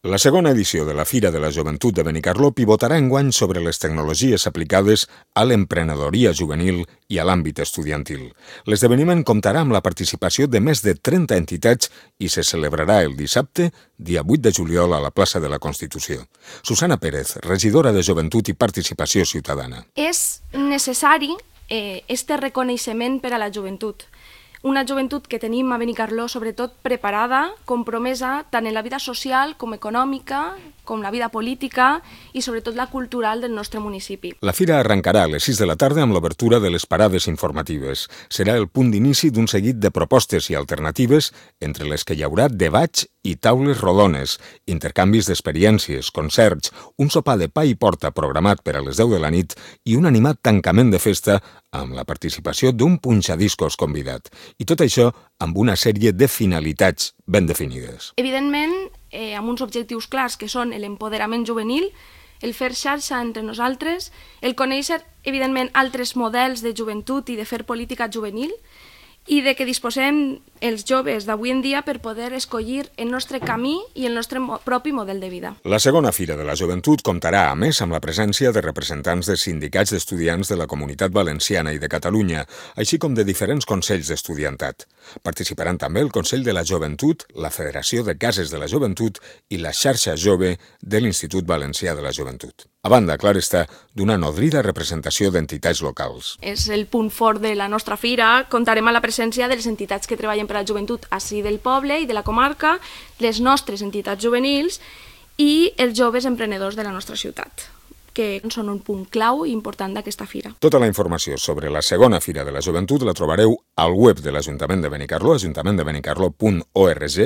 La segona edició de la Fira de la Joventut de Benicarló pivotarà enguany sobre les tecnologies aplicades a l'emprenedoria juvenil i a l'àmbit estudiantil. L'esdeveniment comptarà amb la participació de més de 30 entitats i se celebrarà el dissabte, dia 8 de juliol, a la plaça de la Constitució. Susana Pérez, regidora de Joventut i Participació Ciutadana. És necessari este reconeixement per a la joventut. Una joventut que tenim a Benicarló, sobretot preparada, compromesa tant en la vida social com econòmica, com la vida política i sobretot la cultural del nostre municipi. La fira arrencarà a les 6 de la tarda amb l'obertura de les parades informatives. Serà el punt d'inici d'un seguit de propostes i alternatives, entre les que hi haurà debats i taules rodones, intercanvis d'experiències, concerts, un sopar de pa i porta programat per a les 10 de la nit i un animat tancament de festa amb la participació d'un punxadiscos convidat. I tot això amb una sèrie de finalitats ben definides. Evidentment, amb uns objectius clars que són l'empoderament juvenil, el fer xarxa entre nosaltres, el conèixer, evidentment, altres models de joventut i de fer política juvenil, i de que disposem els joves d'avui en dia per poder escollir el nostre camí i el nostre propi model de vida. La segona Fira de la Joventut comptarà, a més, amb la presència de representants de sindicats d'estudiants de la Comunitat Valenciana i de Catalunya, així com de diferents consells d'estudiantat. Participaran també el Consell de la Joventut, la Federació de Cases de la Joventut i la Xarxa Jove de l'Institut Valencià de la Joventut. A banda, clar està, d'una nodrida representació d'entitats locals. És el punt fort de la nostra fira. Comptarem amb la presència de les entitats que treballen per a la joventut ací del poble i de la comarca, les nostres entitats juvenils i els joves emprenedors de la nostra ciutat, que són un punt clau i important d'aquesta fira. Tota la informació sobre la segona Fira de la Joventut la trobareu al web de l'Ajuntament de Benicarló, ajuntamenttdebenicarló.org,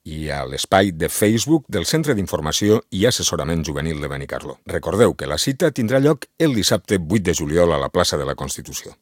i a l'espai de Facebook del Centre d'Informació i Assessorament Juvenil de Benicarló. Recordeu que la cita tindrà lloc el dissabte 8 de juliol a la plaça de la Constitució.